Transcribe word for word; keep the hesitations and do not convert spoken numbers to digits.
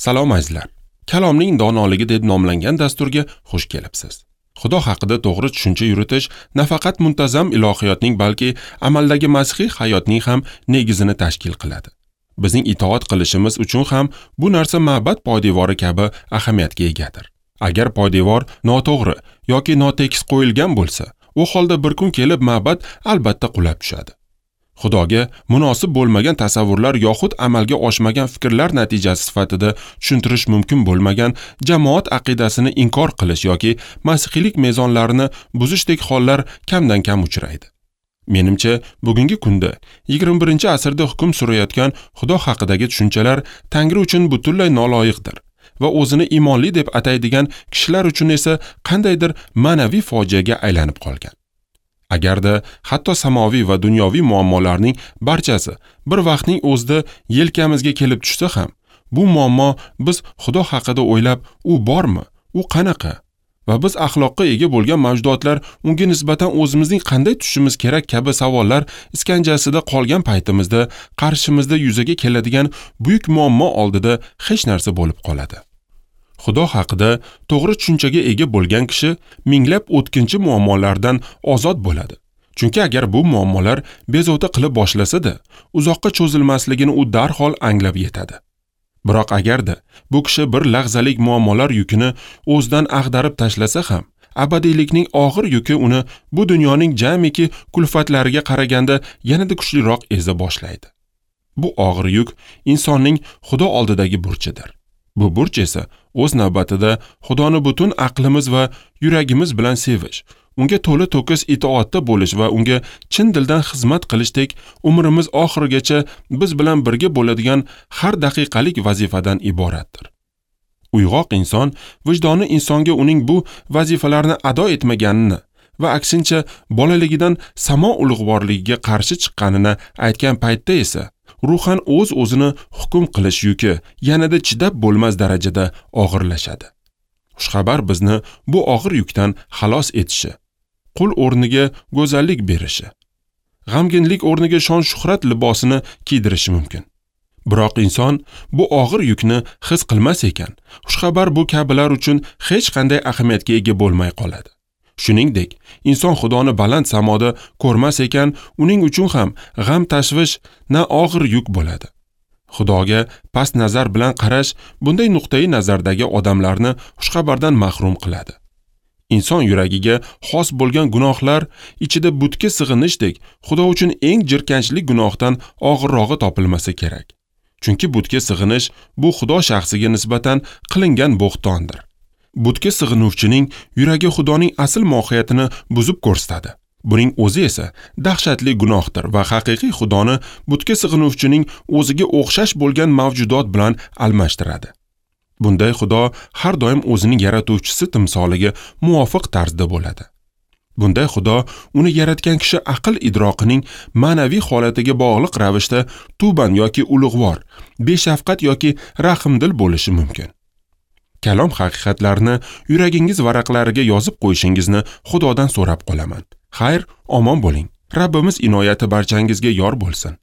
Salom azizlar. Kalomning donoligi deb nomlangan dasturga xush kelibsiz. Xudo haqida to'g'ri tushuncha yuritish nafaqat muntazam ilohiyotning, balki amaldagi masihiy hayotning ham negizini tashkil qiladi. Bizning itoat qilishimiz uchun ham bu narsa ma'bad poydevori kabi ahamiyatga egadir. Agar poydevor noto'g'ri yoki notekis qo'yilgan bo'lsa, u holda bir kun kelib ma'bad albatta qulab tushadi. Xudoga munosib bo'lmagan tasavvurlar yoxud amalga oshmagan fikrlar natijasi sifatida tushuntirish mumkin bo'lmagan jamoat aqidasini inkor qilish yoki masihiylik mezonlarini buzishdek hollar kamdan kam uchraydi. Menimcha, bugungi kunda yigirma birinchi asrda hukm surayotgan Xudo haqidagi tushunchalar Tangri uchun butunlay noloyiqdir va o'zini iymonli deb ataydigan kishilar uchun esa qandaydir ma'naviy fojiaga aylanib qolgan. Agarda hatto samoviy va dunyoviy muammolarning barchasi bir vaqtning o'zida yelkamizga kelib tushsa ham, bu muammo biz Xudo haqida o'ylab, u bormi, u qanaqa va biz axloqqa ega bo'lgan mavjudotlar unga nisbatan o'zimizning qanday tushishimiz kerak kabi savollar iskanjasida qolgan paytimizda qarshimizda yuzaga keladigan buyuk muammo oldida hech narsa bo'lib qoladi. Xudo haqida to'g'ri tushunchaga ega bo'lgan kishi minglab o'tkinchi muammolardan ozod bo'ladi. Chunki agar bu muammolar bezovta qilib boshlasa-da, uzoqqa cho'zilmasligini u darhol anglab yetadi. Biroq agarda bu kishi bir lahzalik muammolar yukini o'zidan ag'darib tashlasa ham, abadiylikning og'ir yuki uni bu dunyoning jamiki kulfatlariga qaraganda yanada kuchliroq eza boshlaydi. Bu og'ir yuk insonning Xudo oldidagi burchidir. Bu burch esa o'z navbatida Xudoni butun aqlimiz va yuragimiz bilan sevish, unga to'la to'kis itoatda bo'lish va unga chin dildan xizmat qilishdek umrimiz oxirigacha biz bilan birga bo'ladigan har daqiqalik vazifadan iboratdir. Uyg'oq inson vijdoni insonga uning bu vazifalarni ado etmaganini va aksincha bolaligidan samo ulug'vorligiga qarshi chiqqanini aytgan paytda esa ruhan o'z-o'zini hukm qilish yuki yanada chidab bo'lmas darajada og'irlashadi. Xushxabar bizni bu og'ir yukdan xalos etishi, qul o'rniga go'zallik berishi, g'amginlik o'rniga shon-shuhrat libosini kiydirishi mumkin. Biroq inson bu og'ir yukni his qilmas ekan, xushxabar bu kabilar uchun hech qanday ahamiyatga ega bo'lmay qoladi. Shuningdek, inson Xudoni baland samoda ko'rmas ekan, uning uchun ham g'am tashvish na og'ir yuk bo'ladi. Xudoga past nazar bilan qarash bunday nuqtai nazardagi odamlarni xushxabardan mahrum qiladi. Inson yuragiga xos bo'lgan gunohlar ichida butga sig'inishdek Xudo uchun eng jirkanchli gunohdan og'irrog'i topilmasa kerak. Chunki butga sig'inish bu Xudo shaxsiga nisbatan qilingan bo'xtondir. Butga sig'inuvchining yuragi Xudoning asl mohiyatini buzib ko'rsatadi. Buning o'zi esa dahshatli gunohdir va haqiqiy Xudoni butga sig'inuvchining o'ziga o'xshash bo'lgan mavjudot bilan almashtiradi. Bunday Xudo har doim o'zining yaratuvchisi timsoliga muvofiq tarzda bo'ladi. Bunday Xudo uni yaratgan kishi aql idroqining ma'naviy holatiga bog'liq ravishda tuban yoki ulug'vor, beshafqat yoki rahmdil bo'lishi mumkin. Kalom haqiqatlarini yuragingiz varaqlariga yozib qo'yishingizni Xudodan so'rab qolaman. Xayr, omon bo'ling. Rabbimiz inoyati barchangizga yor bo'lsin.